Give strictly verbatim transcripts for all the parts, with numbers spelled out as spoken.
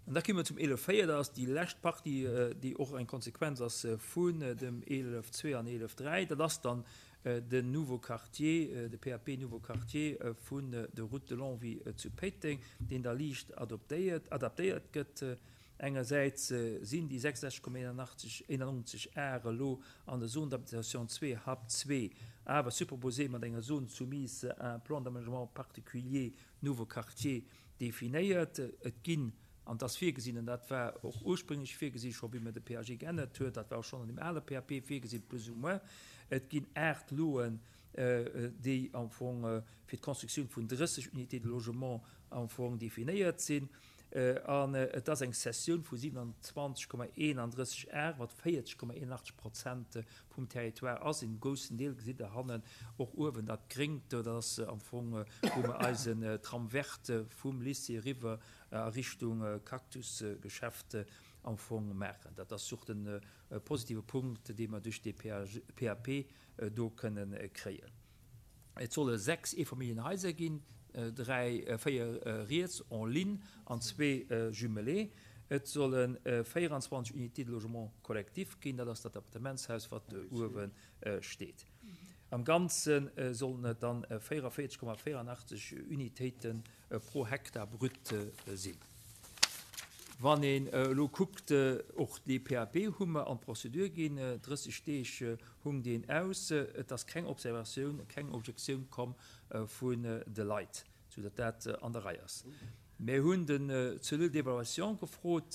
An da komme mer zum eelef véier, dat ass déi lescht Partie, déi och eng Konsequenz ass vun dem eelef zwee an eelef dräi. Dat ass dann den Nouveau Quartier, de P A P Nouveau Quartier vun der Route de Longwy zu Péiteng, deen da liicht adoptéiert, adaptéiert gëtt. Engersäits sinn déi sechsundsechzeg Komma einundneunzeg Ar elo an der Zone d'habitation zwee H A P zwee, awer superposé mat enger Zone soumise à un plan d'aménagement particulier Nouveau Quartier definéiert. Et ginn, an dat ass virgesinn, an dat war och ursprénglech virgesi scho wéi mer de P A G geännert huet, dat war och schonn an dem ale P A P virgesinn, plus ou moins, et ginn aacht Loen, déi am Fong fir d'Constructioun vun drësseg Unités de logement am Fong definéiert sinn. An et ass eng Cessioun vu siewenundzwanzeg Komma eenandrësseg Ar, wat véierzeg Komma eenundachtzeg Prozent vum Territoire ass. En groussen Deel gesitt Der hannen och uewen dat Gréngt, dat ass am Fong, wou mer eisen Tram vert vum Lycée eriwwer a Richtung Cactus-Geschäft am Fong maachen. Dat ass och de positive Punkt, dee mer duerch dee P A P do kënnen kréien. Et solle sechs Eefamilljenhaiser ginn, dräi, véier riets en ligne an zwee jumelé. Et solle véierundzwanzeg Unités de logement collectif ginn, dat ass dat Appartementshaus, wat uewe steet. Am Ganze sollen et dann véierundvéierzeg Komma véierundachtzeg Unitéite pro Hektar brut sinn. Wann een elo kuckt, och dee P A P hu mer an d'Prozedur ginn, drësseg Deeg hung deen aus, et ass keng Observatioun, keng Objektioun komm vun de Leit, soudatt dat an der Rei ass. Mir hunn den Cellule d'évaluation gefrot,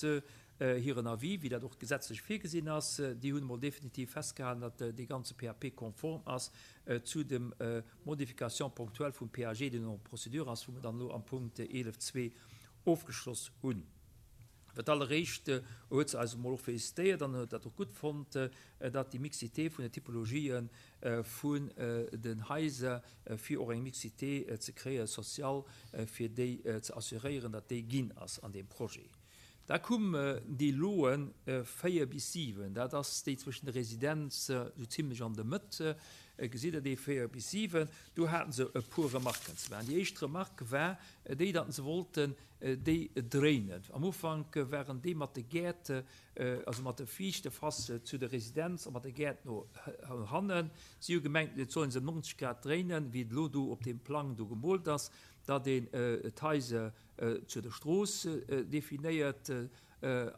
hiren Avis, wéi dat och gesetzlech virgesinn ass. Déi hunn emol definitiv festgehalen, datt dee ganze P A P konform ass zu dem Modification ponctuelle vum P A G, deen en procédure ass, wou mer dann elo am Punkt eelef zwee ofgeschloss hunn. Fir d'alleréischt huet se eis emol och félicitéiert an huet dat och gutt fonnt, datt déi Mixité vun de Typologië vun den Haiser, fir och eng Mixité ze kréie sociale, fir déi ze assuréieren, datt déi ginn ass an deem Projet. Da koum déi Loe véier bis siwen, dat ass déi zwëschen der Residenz esou zimlech an der Mëtt, gesitt Der déi véier bis siwen, do hate se e puer Remarken ze maachen. Déi éischt Remarque war déi, datt se wollten déi dréinen. Am Ufank waren déi mat de Gäert, also mat der viischte Face zu der Residenz a mat de Gäert no hannen. Si hu gemengt, et soll ee se ëm neunzeg Grad dréinen, wéi et elo do op deem Plang do gemoolt ass, datt een d'Haiser zu der Strooss definéiert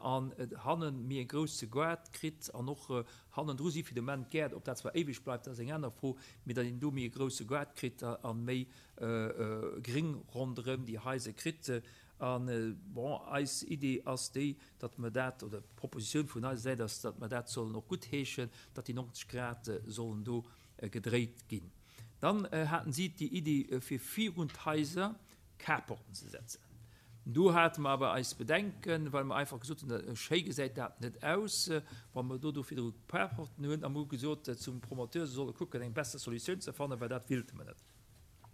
an hannen méi e grousse Gaart kritt an och hannendru si fir de Moment Gäert, ob dat zwar éiweg bleift, dat ass eng aner Fro, mee datt een do méi e grousse Gaart kritt a méi Gréng ronderëm déi Haiser kritt. An, bon, eis Idee ass déi, datt mer dat, oder d'Propositioun vun eiser Säit ass, datt mer dat sollen och guttheeschen, datt déi neunzeg Grad sollen do gedréit ginn. Dann haten si déi Iddi, fir virun d'Haiser Carporten ze setzen. Do hate mer awer eis Bedenken, well mer einfach gesot hunn, schéi gesäit dat net aus, wa mer do do virdru Carporten hunn, a mer hu gesot zum Promoteur, se solle kucken, eng besser Solutioun ze fannen, well dat willte mer net.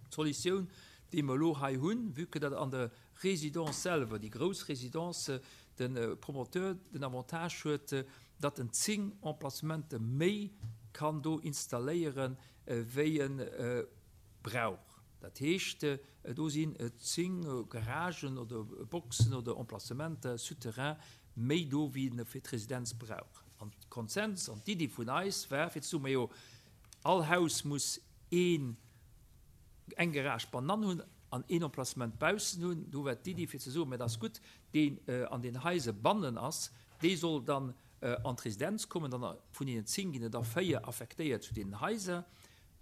D'Solutioun, déi mer elo hei hunn, vue que dat an der Résidence selwer, déi grouss Résidence, de Promoteur den Avantage huet, datt en zéng Emplacementen méi kann do installéieren, wéi en brauch. Dat heescht, do sinn zéng Garagen oder Boxen oder Emplacementer souterrain méi do, wéi en fir d'Residenz brauch. An d'Konsens an d'Iddi vun eis war, fir ze soen, majo, all Haus muss een, eng Garage bannan hunn an een Emplacement baussen hunn. Do war d'Iddi, fir ze soen, mä dat ass gutt, deen an den Haiser bannen ass, dee soll dann an d'Residenz kommen, dann vun deenen zéng ginn et der véier affektéiert zu deenen Haiser.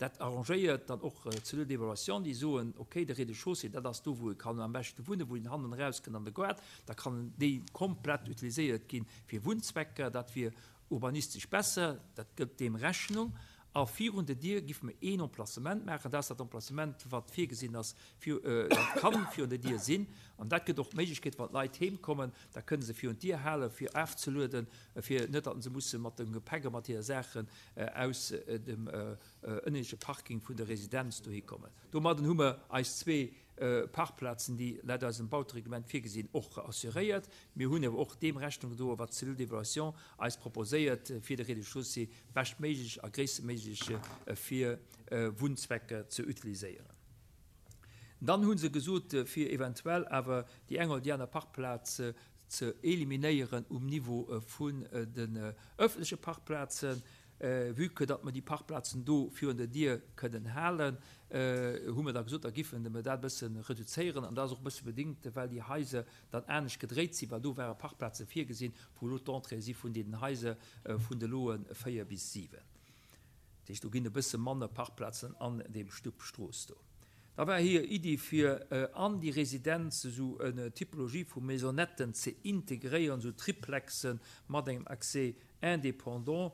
Dat arrangéiert dann och d'Cellule d'évaluation, déi soen, okay, de Rez-de-chaussée, dat ass do, wou e kann am beschte wunnen, wou een hannen erauskënnt an de Gaart, da kann déi komplett utiliséiert gi fir Wunnzwecker, dat wier urbanistesch besser, dat gëtt deem Rechnung. A virun der Dier géife mer een Emplacement maachen, dat ass dat Emplacement, wat virgesinn ass, fir, dat kann virun der Dier sinn. An dat gëtt och d'Méiglechkeet, wann d'Leit heem kommen, da kënne se virun d'Dier halen, fir afzelueden, fir net, datt se musse mat dem Gepäck a mat hire Saachen aus dem ënneschte Parking vun der Residenz dohi kommen. Domadden hu mer eis zwee Parkplazen, déi laut eisem Bautereglement virgesinn, och assuréiert. Mir hunn awer och deem Rechnung gedoen, wat d'Cellule d'évaluation eis proposéiert, fir de Rez-de-chaussée beschtméiglech a gréisstméiglech fir Wunnzwecker ze utiliséieren. Dann hu se gesot, fir eventuell awer déi eng oder déi aner Parkplaz ze eliminéieren um Niveau vun den ëffentleche Parkplazen. Vue que datt mer déi Parkplazen do virun der Dier kënnen halen, hu mer da gesot, da giffen mer dat e bësse reduzéieren. An dat ass och e bësse bedingt, well déi Haiser dann anescht gedréit sinn, well do ware Parkplaze virgesinn, wou elo d'Entrée si vun deenen Haiser vun de Loe véier bis siwen. Dat heescht, do ginn e bësse manner Parkplazen an deem Stupp Strooss do. Da war hir Iddi, fir an déi Residenz esou en Typologie vu Maisonnetten ze integréieren, esou Triplexen mat engem Accès indépendant.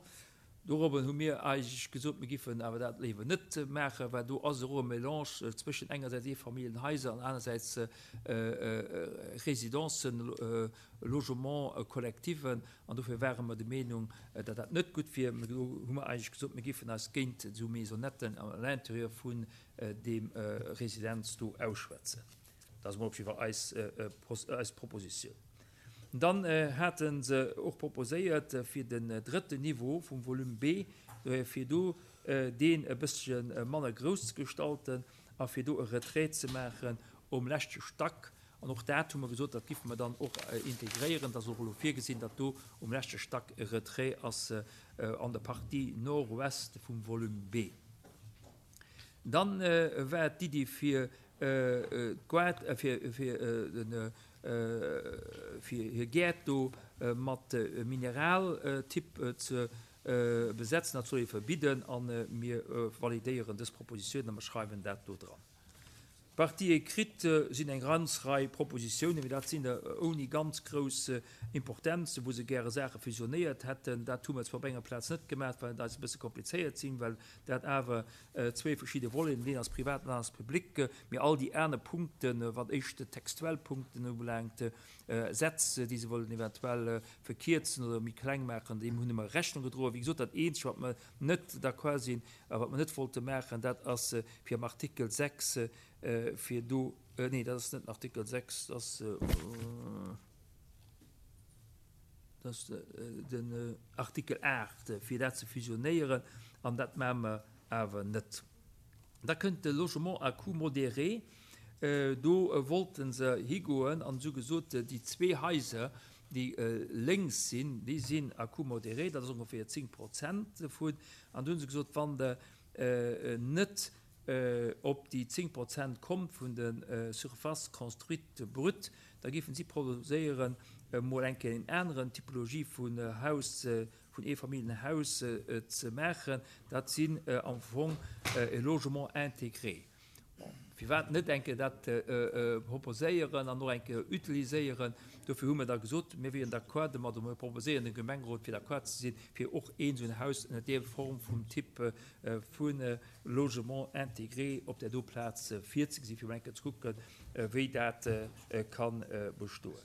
Dorobber hu mir eigentlech gesot, mir giffen awer dat léiwer net maachen, well do ass elo e Mélange zwëschen engersäits Eefamilljenhaiser an anersäits Residencen, Logements collectiven. An dofir ware mer der Meenung, datt dat net gutt wier. Do hu mer eigentlech gesot, mir giffen eis géint esou Maisonnetten à l'intérieur vun deem Residenz do ausschwätzen. Dat ass emol op jidde Fall eis, eis Propositioun. Dann hate se och proposéiert, fir den drëtten Niveau vum Volume B, fir do deen e bëssche manner grouss ze gestalten a fir do e Retrait ze maachen um leschte Stack. An och dat hu mer gesot, dat giffe mer dann och integréieren. Dat ass och elo virgesinn, datt do um leschte Stack e Retrait ass an der Partie nord-ouest vum Volume B. Dann war d'Iddi fir d'Goart, fir, fir den, fir hir Gäert do mat Mineraltyp ze besetzen. Dat soll ee verbidden a mir validéieren dës Propositioun a mer schreiwen dat do dran. Partie écrite sinn eng ganz Rei Propositiounen, mee dat sinn der ouni ganz grouss Importenz, wou se gäre Saache fusionéiert hätten. Dat hu mer zwar op enger Plaz net gemaach, well et eis e bësse komplizéiert sinn, well dat awer zwee verschidde Voleten, deen ass privat, deen ass public. Mee all déi aner Punkten, wat éischt textuell Punkten ubelaangt, Sätz, déi se wollen eventuell verkierzen oder méi kleng maachen, deem hunn mer Rechnung gedroen. Wéi gesot, dat Eenzegt, wat mer net d'accord sinn a wat mer net wollte maachen, dat ass fir am Artikel sechs, fir do, nee, dat ass net den Artikel sechs, dat ass, dat ass den Artikel aacht, fir dat ze fusionéieren, an dat maache mer awer net. Da kënnt de Logement à coût modéré. Do wollte se higoen an hu gesot, déi zwee Haiser, déi lénks sinn, déi sinn à coût modéré, dat ass ongeféier zéng Prozent dovun. An do hu se gesot, wann Der net op déi zéng Prozent kommt vun de Surfaces construites brutes, da géifen si proposéieren, emol eng Kéier en aneren Typologie vun Haus, vun Eefamilljenhaus ze maachen. Dat sinn am Fong e Logement intégré. Bon, firwat net eng Kéier dat proposéieren an och eng Kéier utiliséieren? Dofir hu mir da gesot, mir wieren d'accord domat, oder mir proposéieren dem Gemengerot, fir d'accord ze sinn, fir och een esou en Haus ënner där Form vum Typ vu Logement intégré op där do Plaz virzegesinn, fir emol eng Kéier ze kucken, wéi dat ka bestoen.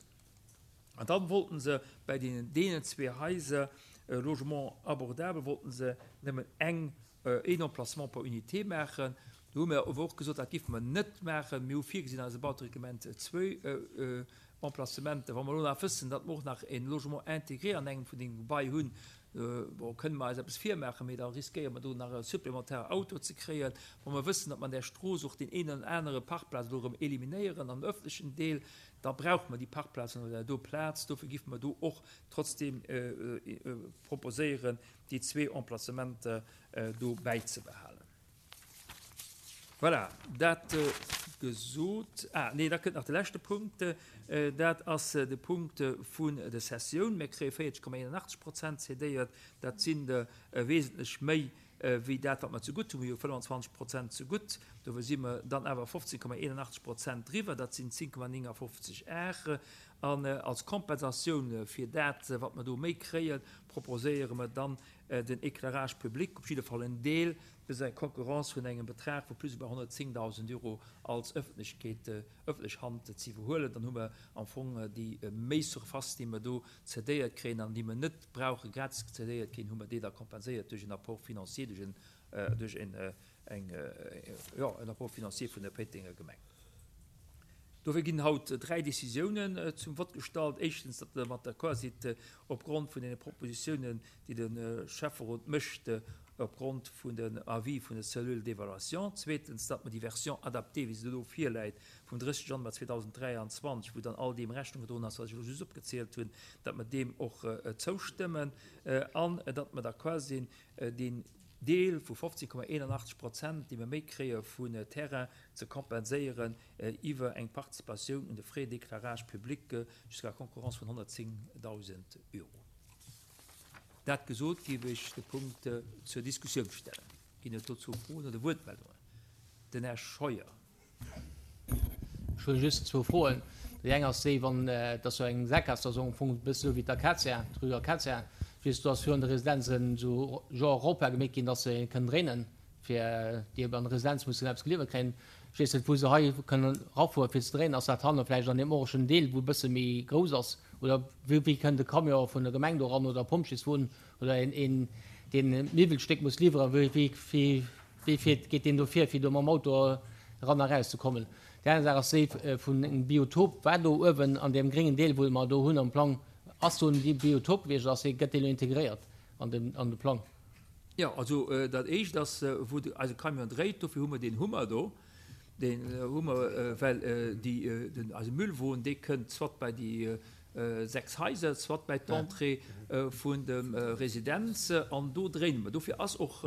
An dann wollten se bei deenen, deenen zwee Haiser, Logement abordable, wollten se nëmmen eng, een Emplacement per Unité maachen. Do hu mir awer och gesot, dat géife mer net maachen. Mir hu virgesinn an eisem Bautereglement zwou Emplacementen. Wa mer elo nach wëssen, datt mer och nach e Logement intégré an engem vun deene Gebai hunn, bon, kënne mer eis eppes virmaachen, mee da riskéiere mer do nach e supplémentaire Auto ze kréien. Wa mer wëssen, datt mer an där Strooss och deen een oder anere Parkplaz elo erëm eliminéieren am öffentlechen Deel, da brauche mer déi Parkplazen op där do Plaz. Dofir géife mer do och trotzdeem proposéieren, déi zwee Emplacementer do bäizebehalen. Voilà, dat gesot. Ah, nee, da kënnt nach de leschte Punkt. Dat ass de Punkt vun der Cessioun. Mir kréie véierzeg Komma eenenachtzeg Prozent cédéiert. Dat sinn der wesentlech méi wéi dat, wat mer zegutt hunn. Mir hu fënnwanzwanzeg Prozent zegutt. Dofir si mer dann awer fofzéng Komma eenenachtzeg Prozent driwwer. Dat sinn zéng Komma néngafofzeg Ar. An als Kompensatioun fir dat, wat mer do méi kréien, proposéiere mer dann den Éclairage public, op jidde Fall en Deel, bis eng Konkurrenz vun engem Betrag vu plus ou moins honnertzéngdausend Euro als Ëffentlechkeet, ëffentlech Hand ze iwwerhuelen. Dann hu mer am Fong déi méi Surface, déi mer do cédéiert kréien an déi mer net brauche gratis cédéiert kréien, hu mer déi da kompenséiert duerch en Apport financier, duerch en, duerch en, eng, jo, en Apport financier vun der Péitenger Gemeng. Dofir ginn haut dräi Décisiounen zum Vott gestallt. Éischtens, datt Der mat d'accord sidd, opgrond vun deene Propositiounen, déi de Schäfferot mécht, opgrond vun den Avis vun der Cellule d'évaluation. Zweetens, datt mer déi Version adaptée, wéi se do virläit, vum drësseg Januar zweedausend dräianzwanzeg, wou dann all deem Rechnung gedroen ass, wat ech elo just opgezielt hunn, datt mer deem och zoustëmmen an datt mer d'accord sinn, deen Deel vu fofzéng Komma eenanachtzeg Prozent, déi mer méi kréie vun Terrain, ze kompenséieren iwwer eng Participatioun un de Frais d'éclairage public jusqu'à concurrence vun honnertzéngdausend Euro. Dat gesot, géif ech de Punkt zur Diskussioun stellen. Ginn et dozou Froen oder Wuertmeldungen? Den Här Scheuer. Ech hunn just zwou Froen. Déi eng ass déi, wann et ass jo eng Sakgaass, dat ass am Fong e bësse sou wéi d'Akazie, d'Rue Acacia, just do ass virun de Residenzen esou genre Rond-point gemeet ginn, dass se kënnen dréinen, fir déi an der Residenz mussen eppes geliwwert kréien. Ech weess net, wou se hei kënnen erafuere fir ze dréinen. Ass dat hanne vläicht an deem orangen Deel, wou e bësse méi grouss ass? Oder wéi, wéi kënnt de Camion vun der Gemeng do eran oder Pompjeeswon oder een, een, deen e Miwwelstéck muss liwweren, wéi, wéi, wéi, wéi fiert, geet deen do vir, fir do mam Auto eran a raus ze kommen? Déi aner Saach ass déi vun engem Biotop. War do uewen an deem gréngen Deel, wou mer do hunn am Plang, ass do en Biotop gewiescht oder ass dee, gëtt dee lo integréiert an den, an de Plang? Jo, also dat Éischt ass, wou de, eise Camion dréit, dofir hu mer deen Hummer do, deen hu mer, well déi, den, eise Müllwon, dee kënnt soit bei déi sechs Haiser, soit bei d'Entrée vun dem Residenz an do dréine mer. Dofir ass och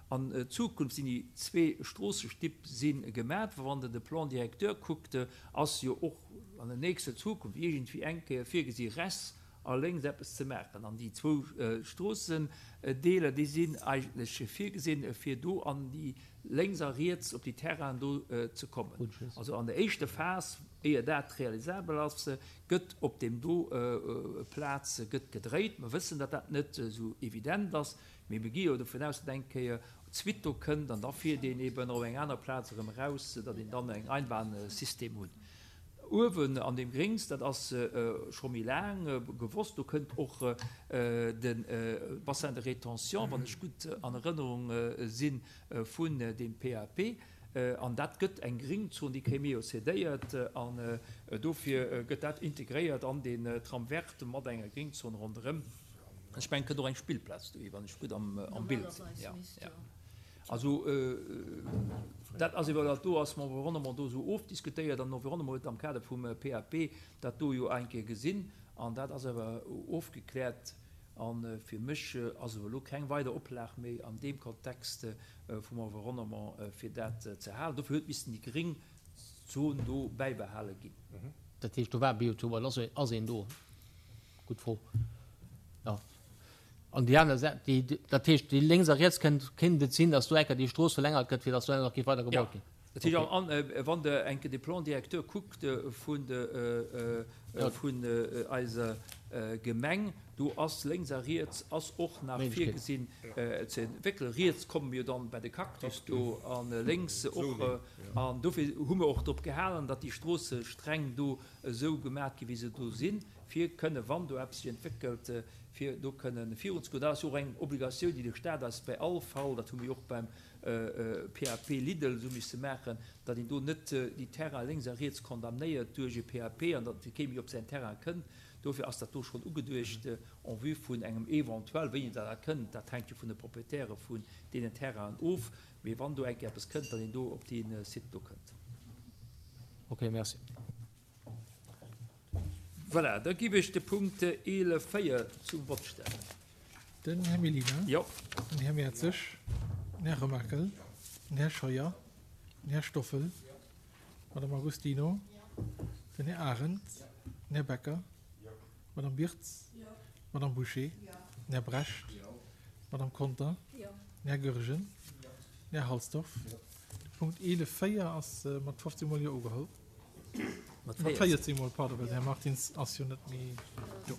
an Zukunft sinn déi zwee Stroossestipp si gemat. Wann Der de Plan directeur kuckt, ass jo och an der nächster Zukunft iergendwéi eng Kéier virgesi rechts a lénks eppes ze maachen. An déi zwou Stroossendeeler, déi sinn eigentlech virgesinn, fir do an déi lénks a riets op déi Terrainen do ze kommen. Also an der éischter Phas, éier dat realisabel ass, gëtt op deem do Plaz gëtt gedréit. Mer wëssen, datt dat net esou evident ass, mee mir gi jo dovun aus, datt eng Kéier d'Suite do kënnt an da fiert een eben op eng aner Plaz erëm eraus, datt een dann eng Einbahnsystem hunn. Uewen an deem Gréngs, dat ass scho méi laang gewosst, do kënnt och de Bassin de rétention, wann ech gutt an Erënnerung sinn, vun deem P A P. An dat gëtt eng Gringzon, déi kréie mir jo cédéiert an dofir gëtt dat integréiert an deen Tram vert mat enger Gringzon ronderëm. Ech mengen, et kënnt och eng Spillplaz dohi, wann ech gutt am Bild sinn. Jo, jo. Also dat ass iwwer dat do ass mam Environnement do esou ofdiskutéiert an den Environnement huet am Kader vum P A P dat do jo eng Kéier gesinn an dat ass awer ofgekläert a fir mech ass awer elo keng weider Oplag méi an deem Kontext vum Environnement fir dat ze halen. Dofir huet missen déi gréng Zon do bäibehale ginn. Dat heescht, do war Biotop an ass een do? Gutt Fro. Jo. An déi aner Säit, déi, dat heescht, déi lénks a riets kënnt, kéint et sinn, datt do enker déi Strooss verlängert gëtt, fir datt do nach géif weider gebaut ginn? Dat heescht, an, wann Der enke de Plan directeur kuckt vun de, vun eiser Gemeng, do ass lénks a riets ass och nach virgesinn ze entwéckelen. Riets komme mir dann bei de Cactus do a lénks och. An dofir hu mir och drop gehalen, datt déi Stroossestreng do esou gemat ginn, wéi se do sinn, fir kënne, wann do eppes sech entwéckelt, fir do kënnen virunzegoen. Dat ass jo och eng Obligatioun, déi de Stat eis bei all Fall, dat hu mir jo och beim P A P Lidl esou misse maachen, datt een do net déi Terrainen lénks a riets condamnéiert duerch e P A P an datt kee méi op säin Terrain kënnt. Dofir ass dat do schonn ugeduecht en vue vun engem eventuell, wéini dat da kënnt, dat hänkt jo vun de Proprietäre vun deenen Terrainen of, mee wann do eng Kéier eppes kënnt, datt een do op dee Site do kënnt. Okay, merci. Voilà, da giff ech de Punkt eelef véier zum Vott stellen. Den Här Mellina. Jo. Den Här Mertzig. Den Här Remakel. Den Här Scheuer. Den Här Stoffel. D'Madame Agostino. Den Här Arendt. Den Här Becker. D'Madame Birtz. D'Madame Bouché. Den Här Brecht. D'Madame Conter. Den Här Goergen. Den Här Halsdorf. De Punkt eelef véier ass mat fofzéng Mol Jo ugeholl. Mat véierzéng Mol, pardon, well den Här Martins ass jo net méi do.